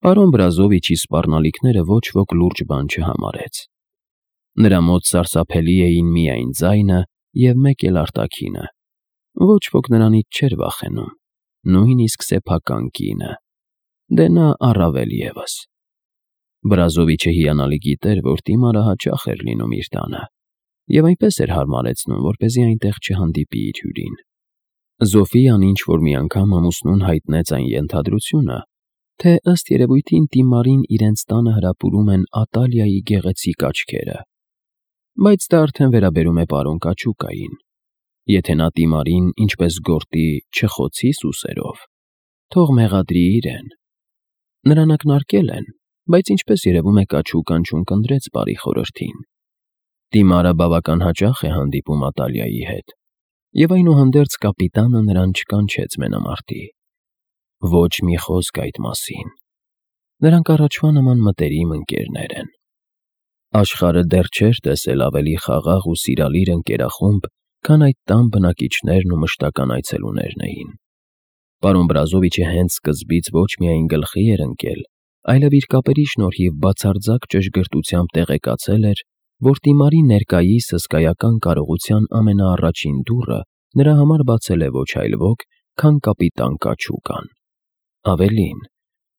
Պարոն Բրազովիչի սպառնալիքները ոչ ոք լուրջ բան չհամարեց։ Նրա մոտ սարսափելի էին միայն ձայնը և մեկ էլ արտաքինը։ Ոչ ոք նրանից չէր վախենում, նույնիսկ սեփական կինը։ Դե նա առավել ևս։ Բրազովիչը հիանալի գիտեր, որ Տիմարը հաճախ էր լինում իր տանը, և այնպես էր հարմարեցնում, որպեսզի այնտեղ չհանդիպի իր հյուրին։ Զոֆիան ինչ-որ մի անգամ ամուսնուն հայտնեց այն ենթադրությունը, թե ըստ երևույթին Տիմարին իրենց տանը հրապուրում են Ատալիայի գեղեցիկ աչքերը, բայց դա արդեն վերաբերում է պարոն Կաչուկային։ Եթե նա Տիմարին, ինչպես գորտի, չխոցի սուսերով, թող մեղադրի իրեն։ Նրան ակնարկել են, բայց ինչպես երևում է Կաչուկան չունկնդրեց բարի խորհրդին։ Տիմարը բավական հաճախ է հանդիպում Ատալիայի հետ, և այնուհանդերձ կապիտանը նրան չկանչեց մենամարտի։ Ոչ մի խոսք այդ մասին։ Նրանք առաջվա նման մտերիմ ընկերներ են։ Աշխարհը դեռ չէր տեսել ավելի խաղաղ ու սիրալիր ընկերախումբ, քան այդ տան բնակիչներն ու մշտական այցելուներն էին։ Պարոն Բրազովիչը հենց սկզբից ոչ միայն գլխի էր ընկել, այլև իր կապերի շնորհիվ բացարձակ ճշգրտությամբ տեղեկացել էր, որ Տիմարի ներկայիս հսկայական կարողության ամենաառաջին դուռը նրա համար բացել է ոչ այլ ոք, քան կապիտան Կաչուկան։ Ավելին,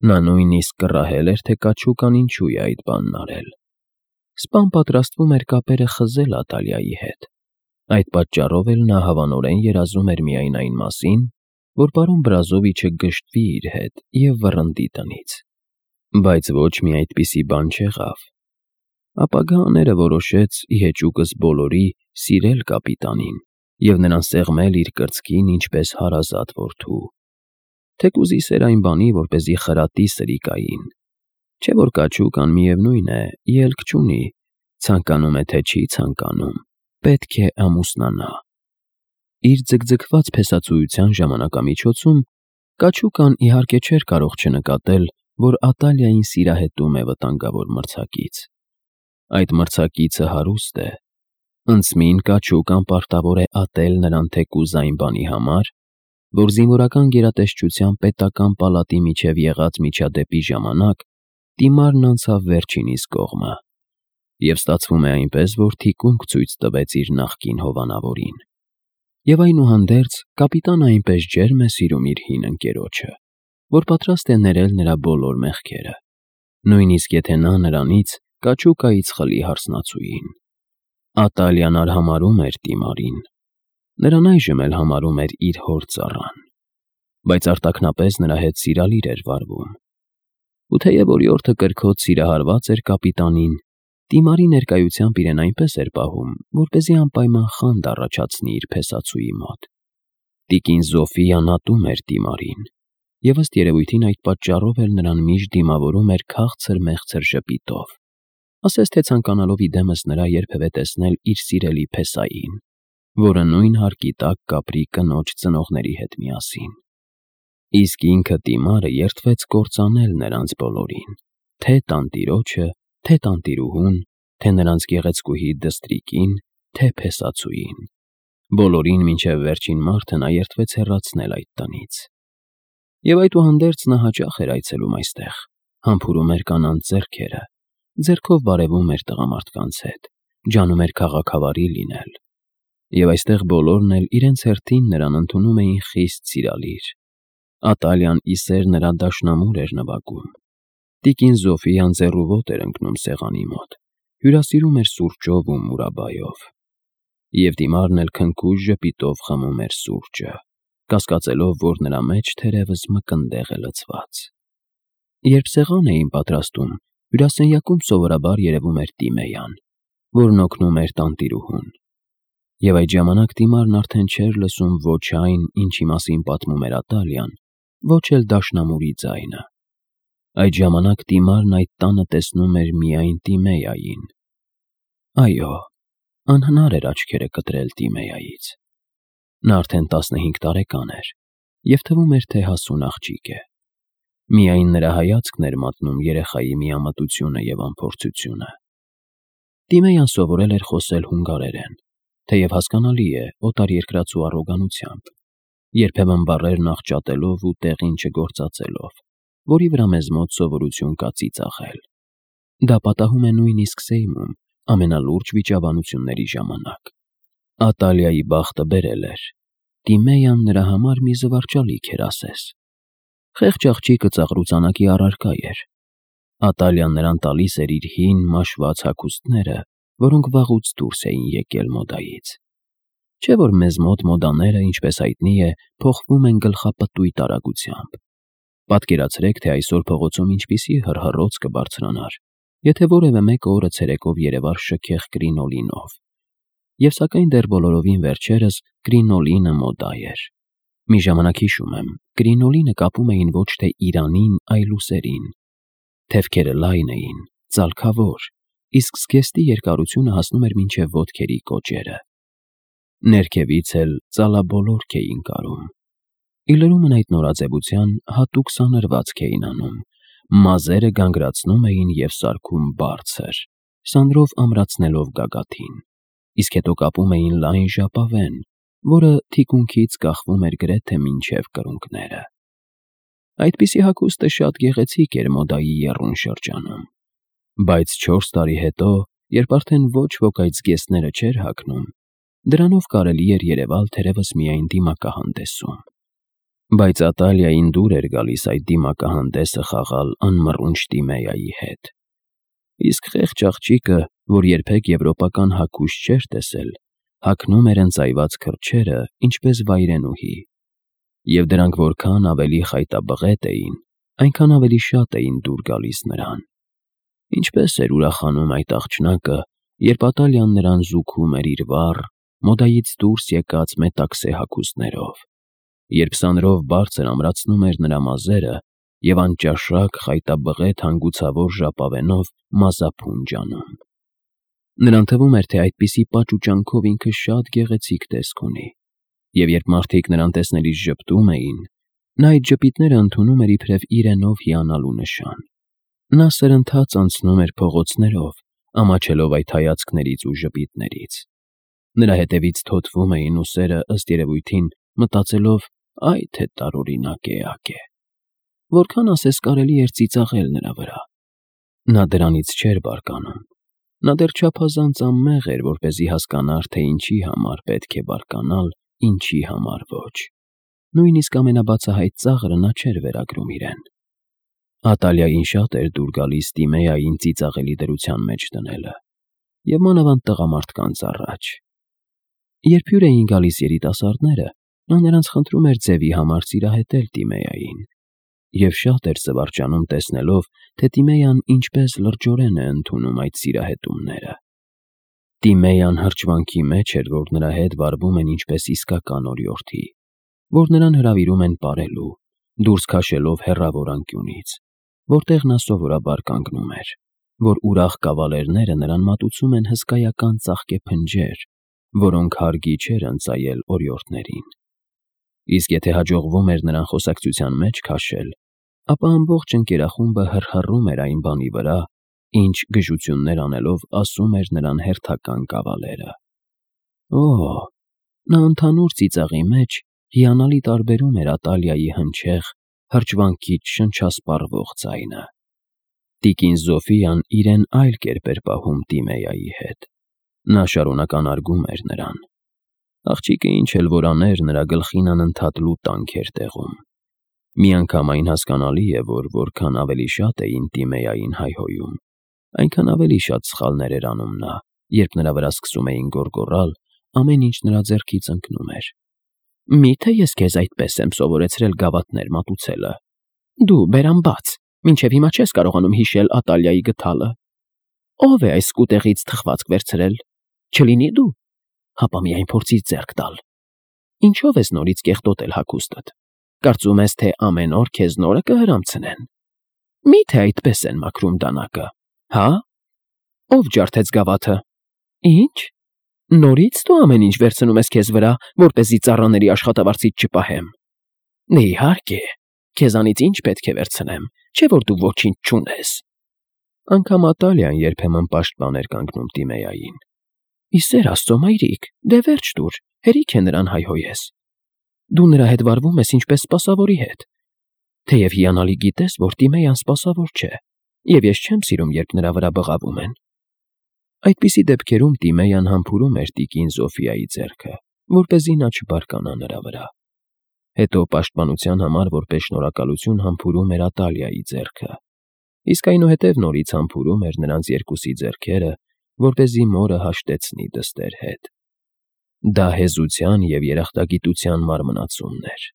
նա նույնիսկ կռահել էր, թե Կաչուկան ինչու է այդ բանն արել։ Սպան պատրաստվում էր կապերը խզել Ատալիայի հետ։ Այդ պատճառով էլ նա հավանորեն երազում էր միայն այն մասին, որ պարոն Բրազովիչը գժտվի իր հետ և վռնդի տնից։ Բայց ոչ մի այդպիսի բան չեղավ։ Ապագա աները որոշեց ի հեճուկս բոլորի սիրել կապիտանին և նրան սեղմել իր կրծքին ինչպես հարազատ որդու։ Թեկուզ ի սեր այն բանի, որպեսզի խրատի Սրիկային։ Չէ՞ որ Կաչուկան միևնույն է, ելք չունի, ցանկանում է թե չի ցանկանում, պետք է ամուսնանա։ Իր ձգձգված փեսացուության ժամանակամիջոցում Կաչուկան իհարկե չէր կարող չնկատել, որ Ատալիային սիրահետում է վտանգավոր մրցակից։ Այդ մրցակիցը հարուստ է։ Ընծմին Կաչուկան պարտավոր է ատել նրան թեկուզ այն բանի համար, որ զինվորական գերատեսչության պետական պալատի միջև եղած միջադեպի ժամանակ Տիմարն անցավ վերջինիս կողմը, և ստացվում է այնպես, որ թիկունք ցույց տվեց իր նախկին հովանավորին։ Եվ այնուհանդերձ կապիտանը այնպես ջերմ է սիրում իր հին ընկերոջը, որ պատրաստ է ներել նրա բոլոր մեղքերը, նույնիսկ եթե նա նրանից Կաչուկայից խլի հարսնացուին։ Ատալիան արհամարհում էր Տիմարին։ Նրան այժմ էլ համարում էր իր հոր ծառան, բայց արտաքնապես նրա հետ սիրալիր էր վարվում։ Ու թեև օրիորդը կրքոտ սիրահարված էր կապիտանին, Տիմարի ներկայությամբ իրեն այնպես էր պահում, որպեսզի անպայման խանդ առաջացնի իր փեսացուի մոտ։ Տիկին Զոֆիան ատում էր Տիմարին, և ըստ երևույթին այդ պատճառով էլ նրան միշտ դիմավորում էր քաղցր֊մեղցր ժպիտով, ասես թե ցանկանալով իդեմս նրա երբևէ տեսնել իր սիրելի փեսային, որը նույն հարկի տակ կապրի կնոջ ծնողների հետ միասին։ Իսկ ինքը Տիմարը երդվեց կործանել նրանց բոլորին, թե տանտիրոջը, թե տանտիրուհուն, թե նրանց գեղեցկուհի դստրիկին, թե փեսացուին։ Բոլորին մինչև վերջին մարդը նա երդվեց հեռացնել այդ տնից։ Եվ այդուհանդերձ նա հաճախ էր այցելում այստեղ, համբուրում էր կանանց ձեռքերը, ձեռքով բարևում էր տղամարդկանց հետ, ջանում էր քաղաքավարի լինել։ Եվ այստեղ բոլորն էլ իրենց հերթին նրան ընդունում էին խիստ սիրալիր։ Ատալիան ի սեր նրա դաշնամուր էր նվագում։ Տիկին Զոֆիան ձեռուոտ էր ընկնում սեղանի մոտ, հյուրասիրում էր սուրճով ու մուրաբայով։ Եվ Տիմարն էլ քնքուշ ժպիտով խմում էր սուրճը, կասկածելով, որ նրա մեջ թերևս մկնդեղ է լցված։ Երբ սեղան էին պատրաստում, հյուրասենյակում սովորաբար երևում էր Տիմեյան, որն օգնում էր տանտիրուհուն։ Եվ այդ ժամանակ Տիմարն արդեն չէր լսում ոչ այն, ինչի մասին պատմում էր Ատալիան, ոչ էլ դաշնամուրի ձայնը։ Այդ ժամանակ Տիմարն այդ տանը տեսնում էր միայն Տիմեյային։ Այո, անհնար էր աչքերը կտրել Տիմեյայից։ Նա արդեն 15 տարեկան էր, և թվում էր, թե հասուն աղջիկ է։ Միայն նրա հայացքն էր մատնում երեխայի միամտությունը և անփորձությունը։ Տիմեյան սովորել էր խոսել հունգարերեն, թեև հասկանալի է, օտարերկրացու առոգանությամբ, երբեմն բառերն աղճատելով ու տեղին չգործածելով, որի վրա մեզ մոտ սովորություն կա ծիծաղել։ Դա պատահում է նույնիսկ Սեյմում ամենալուրջ վիճաբանությունների ժամանակ։ Ատալիայի բախտը բերել էր։ Տիմեյան նրա համար մի զվարճալիք էր ասես։ Խեղճ աղջիկը ծաղրուծանակի առարկա էր։ Ատալիան նրան տալիս էր իր հին մաշված հագուստները, որոնք վաղուց դուրս էին եկել մոդայից։ Չէ՞ որ մեզ մոտ մոդաները, ինչպես հայտնի է, փոխվում են գլխապտույտ արագությամբ։ Պատկերացրեք, թե այսօր փողոցում ինչպիսի հռհռոց կբարձրանար, եթե որևէ մեկը օրը ցերեկով երևար շքեղ կրինոլինով։ Եվ սակայն դեռ բոլորովին վերջերս կրինոլինը մոդա էր։ Մի ժամանակ հիշում եմ, կրինոլինը կապում էին ոչ թե Իրանին, այլ ուսերին։ Թևքերը լայն էին, ծալքավոր, իսկ զգեստի երկարությունը հասնում էր մինչև ոտքերի կոճերը։ Ներքևից էլ ծալաբոլորք էին կարում։ Իլրումն այդ նորաձևության հատուկ սանրվածք էին անում, մազերը գանգրացնում էին և սարքում բարձր, սանրով ամրացնելով գագաթին, իսկ հետո կապում էին լայն ժապավեն, որը թիկունքից կախվում էր գրեթե մինչև կրունկները։ Այդպիսի հագուստը շատ գեղեցիկ էր մոդայի եռուն շրջանում, բայց 4 տարի հետո, երբ արդեն ոչ ոք այդ զգեստները չէր հագնում, դրանով կարելի էր երևալ թերևս միայն դիմակահանդեսում։ Բայց Ատալիային դուր էր գալիս այդ դիմակահանդեսը խաղալ անմռունչ Տիմեայի հետ։ Իսկ խեղճ աղջիկը, որ երբեք եվրոպական հագուստ չէր տեսել, հագնում էր ընծայված քրջերը, ինչպես վայրենուհի, և դրանք որքան ավելի խայտաբղետ էին, այնքան ավելի շատ էին դուր գալիս նրան։ Ինչպես էր ուրախանում այդ աղջնակը, երբ Ատալիան նրան զուգում էր իր վառ, մոդայից դուրս եկած մետաքսե հագուստներով, երբ սանրով բարձր ամրացնում էր նրա մազերը և անճաշակ խայտաբղետ հանգուցավոր ժապավենով մազափունջ անում։ Նրան թվում էր, թե այդպիսի պաճուճանքով ինքը շատ գեղեցիկ տեսք ունի, և երբ մարդիկ նրան տեսնելիս ժպտում էին, նա այդ ժպիտները ընդունում էր իբրև իրենով հիանալու նշան։ Նա սրընթաց անցնում էր փողոցներով, ամաչելով այդ հայացքներից ու ժպիտներից։ Նրա հետևից թոթվում էին ուսերը, ըստ երևույթին, մտածելով, այ թե տարօրինակ էակ է։ Որքան ասես կարելի էր ծիծաղել նրա վրա։ Նա դրանից չէր բարկանում։ Նա դեռ չափազանց անմեղ էր, որպեսզի հասկանար, թե ինչի համար պետք է բարկանալ, ինչի համար ոչ։ Նույնիսկ ամենաբացահայտ ծաղրը նա չէր վերագրում իրեն։ Ատալիային շատ էր դուր գալիս Տիմեային ծիծաղելի դրության մեջ դնելը, և մանավանդ տղամարդկանց առաջ։ Երբ հյուր էին գալիս երիտասարդները, նա նրանց խնդրում էր ձևի համար սիրահետել Տիմեային, և շատ էր զվարճանում տեսնելով, թե Տիմեյան ինչպես լրջորեն է ընդունում այդ սիրահետումները։ Տիմեյան հրճվանքի մեջ էր, որ նրա հետ վարվում են ինչպես իսկական օրիորդի, որ նրան հրավիրում են պարելու, դուրս քաշելով հեռավոր անկյունից, որտեղ նա սովորաբար կանգնում էր, որ ուրախ կավալերները նրան մատուցում են հսկայական ծաղկե փնջեր, որոնք հարգի չէր ընծայել օրիորդներին։ Իսկ եթե հաջողվում էր նրան խոսակցության մեջ քաշել, ապա ամբողջ ընկերախումբը հռհռում էր այն բանի վրա, ինչ գժություններ անելով ասում էր նրան հերթական կավալերը։ Օ՜, նա ընդհանուր ծիծաղի մեջ հիանալի տարբերում էր Ատալիայի հնչեղ, հրճվանքից շնչասպառվող ձայնը։ Տիկին Զոֆիան իրեն այլ կերպ էր պահում Տիմեայի հետ։ Նա շարունակ անարգում էր նրան։ Աղջիկը ինչ էլ որ աներ, նրա գլխին անընդհատ լուտանք էր տեղում։ Միանգամայն հասկանալի է, որ որքան ավելի շատ էին Տիմեային հայհոյում, այնքան ավելի շատ սխալներ էր անում նա, երբ նրա վրա սկսում էին գոռգոռալ, ամեն ինչ նրա ձեռքից ընկնում էր։ Մի՞թե ես քեզ այդպես եմ սովորեցրել գավաթներ մատուցելը։ Դու բերան բաց, մինչև հիմա չես կարողանում հիշել Ատալիայի գդալը։ Ո՞վ է այս սկուտեղից թխվածք վերցրել։ Չլինի դու, հապա միայն փորձիր ձեռք տալ։ Ինչով ես նորից կեղտոտել հագուստդ։ Կարծում ես, թե ամեն օր քեզ նորը կհրամցնեն։ Մի՞թե այդպես են մաքրում դանակը, հա։ Ո՞վ ջարդեց գավաթը։ Ինչ։ Նորից դու ամեն ինչ վերցնում ես քեզ վրա, որպեսզի ծառաների աշխատավարձից չպահեմ։ Իհարկե, քեզանից ինչ պետք է վերցնեմ, չէ՞ որ դու ոչինչ չունես։ Անգամ Ատալիան երբեմն պաշտպան էր կանգնում Տիմեային։ Ի սեր Աստծո, մայրիկ, դե վերջ տուր, հերիք է նրան հայհոյես։ Դու նրա հետ վարվում ես ինչպես սպասավորի հետ։ Թեև հիանալի գիտես, որ Տիմեյան սպասավոր չէ, և ես չեմ սիրում, երբ նրա վրա բղավում են։ Այդպիսի դեպքերում Տիմեյան համբուրում էր տիկին Զոֆիայի ձեռքը, որպեսզի նա չբարկանա նրա վրա։ Հետո պաշտպանության համար որպես շնորհակալություն համբուրում էր Ատալիայի ձեռքը, իսկ այնուհետև նորից համբուրում էր նրանց երկուսի ձեռքերը, որպեսզի մորը հաշտեցնի դստեր հետ։ Դա հեզության և երախտագիտության մարմնացումն էր։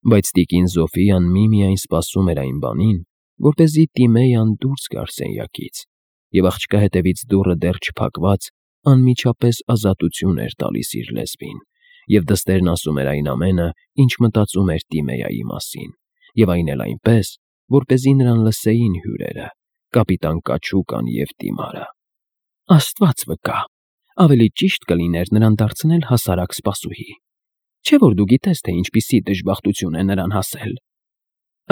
Բայց տիկին Զոֆիան միմիայն սպասում էր այն բանին, որպեսզի Տիմեյան դուրս գար սենյակից, և աղջկա հետևից դուռը դեռ չփակված անմիջապես ազատություն էր տալիս իր լեզվին, և դստերն ասում էր այն ամենը, ինչ մտածում էր Տիմեյայի մասին, և այն էլ այնպես, որպեսզի նրան լսեին հյուրերը, կապիտան Կաչուկան և Տիմարը։ Աստված վկա, ավելի ճիշտ կլիներ նրան դարձնել հասարակ սպասուհի։ Չէ՞ որ դու գիտես, թե ինչպիսի դժբախտություն է նրան հասել։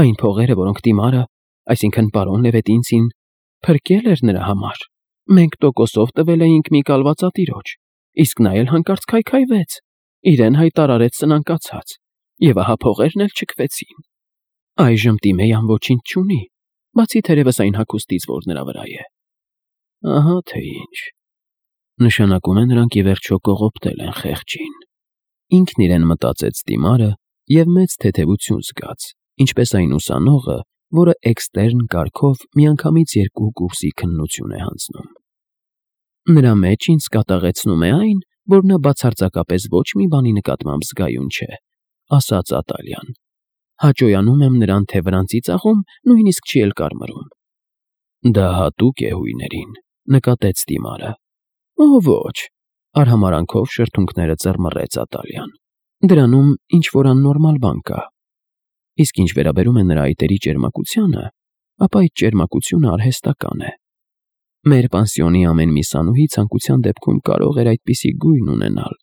Այն փողերը, որոնք Տիմարը, այսինքն պարոն Լևետինցին, փրկել էր նրա համար, մենք տոկոսով տվել էինք մի կալվածատիրոջ, իսկ նա էլ հանկարծ քայքայվեց, իրեն հայտարարեց սնանկացած, և ահա փողերն էլ չքվեցին։ Այժմ Տիմեյան ոչինչ չունի, բացի թերևս այն հագուստից, որ նրա վրա է։ Ահա թե ինչ։ Նշանակում է նրանք ի վերջո կողոպտել են խեղճին։ Ինքն իրեն մտածեց Տիմարը և մեծ թեթևություն զգաց, ինչպես այն ուսանողը, որը էքստերն կարգով միանգամից 2 կուրսի քննություն է հանձնում։ Նրա մեջ ինձ կատաղեցնում է այն, որ նա բացարձակապես ոչ մի բանի նկատմամբ զգայուն չէ, ասաց Ատալյան։ Հաճոյանում եմ նրան, թե վրանցի ծաղում նույնիսկ չի էլ կարմրում։ Դա հատուկ է հույներին, նկատեց Տիմարը։ Ոչ, արհամարանքով շրթունքները ծռմռեց Ատալյան։ Դրանում ինչ-որ աննորմալ բան կա։ Իսկ ինչ վերաբերում է նրա այտերի ճերմակությանը, ապա այդ ճերմակությունը արհեստական է։ Մեր պանսիոնի ամեն մի սանուհի ցանկության դեպքում կարող էր այդպիսի գույն ունենալ։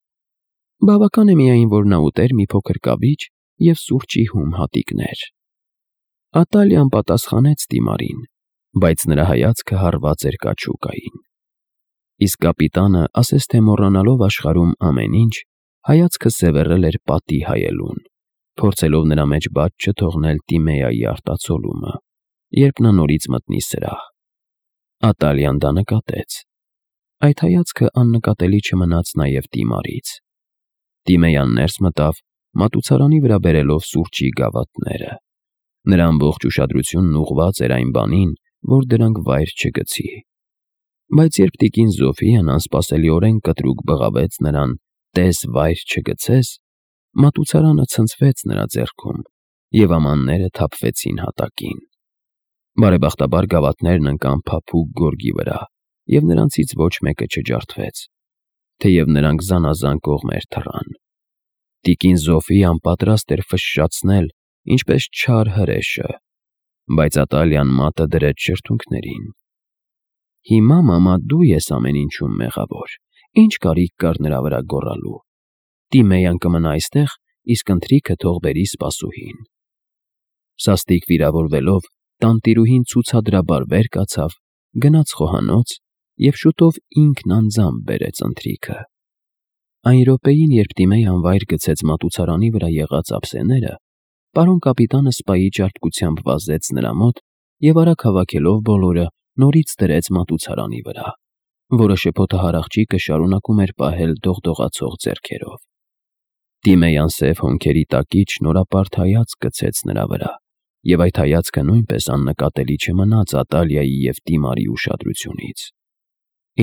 Բավական է միայն, որ նա ուտեր մի փոքր կավիճ և սուրճի հում հատիկներ։ Ատալյան պատասխանեց Տիմարին, բայց նրա հայացքը հառված էր Կաչուկային։ Իսկ կապիտանը, ասես թե մոռանալով աշխարհում ամեն ինչ, հայացքը սևեռել էր պատի հայելուն, փորձելով նրա մեջ բաց չթողնել Տիմեյայի արտացոլումը, երբ նա նորից մտնի սրահ։ Ատալյան դա նկատեց։ Այդ հայացքը աննկատելի չմնաց նաև Տիմարից։ Տիմեյան ներս մտավ, մատուցարանի վրա բերելով սուրճի գավաթները։ Նրա ամբողջ ուշադրությունն ուղղված էր այն բանին, որ դրանք վայր չգցի։ Բայց երբ տիկին Զոֆիան անսպասելիորեն կտրուկ բղավեց նրան «տես վայր չգցես», մատուցարանը ցնցվեց նրա ձեռքում, և ամանները թափվեցին հատակին։ Բարեբախտաբար գավաթներն ընկան փափուկ գորգի վրա, և նրանցից ոչ մեկը չջարդվեց, թեև նրանք զանազան կողմեր թռան։ Տիկին Զոֆիան պատրաստ էր ֆշշացնել, ինչպես չար հրեշը, բայց Ատալյան մատը դրեց շրթունքներին։ Հիմա, մամա, դու ես ամեն ինչում մեղավոր, ինչ կարիք կար նրա վրա գոռալու։ Տիմեյան կմնա այստեղ, իսկ ընթրիքը թող բերի սպասուհին։ Սաստիկ վիրավորվելով, տանտիրուհին ցուցադրաբար վեր կացավ, գնաց խոհանոց և շուտով ինքն անձամբ բերեց ընթրիքը։ Այն րոպեին, երբ Տիմեյան վայր գցեց մատուցարանի վրա եղած ափսեները, պարոն կապիտանը սպայի ճարպկությամբ վազեց նրա մոտ և արագ հավաքելով բոլորը, նորից դրեց մատուցարանի վրա, որը շփոթահար աղջիկը շարունակում էր պահել դողդողացող ձեռքերով։ Տիմեյան սև հոնքերի տակից շնորհապարտ հայացք գցեց նրա վրա, և այդ հայացքը նույնպես աննկատելի չմնաց Ատալիայի և Տիմարի ուշադրությունից։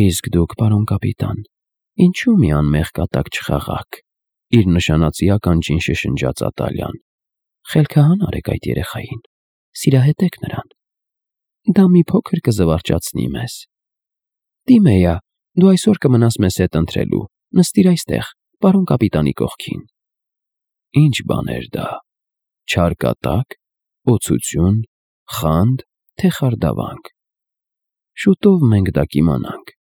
Իսկ դուք, պարոն կապիտան, ինչու մի անմեղ կատակ չխաղաք, իր նշանածի ականջին շշնջաց Ատալյան։ Խելքահան արեք այդ երեխային, սիրահետեք նրան։ Դա մի փոքր կզվարճացնի մեզ։ Տիմեյա, դու այսօր կմնաս մեզ հետ ընթրելու, նստիր այստեղ, պարոն կապիտանի կողքին։ Ինչ բան էր դա, չար կատակ, օցություն, խանդ, թե խարդավանք։ Շուտով մենք դա կիմանանք։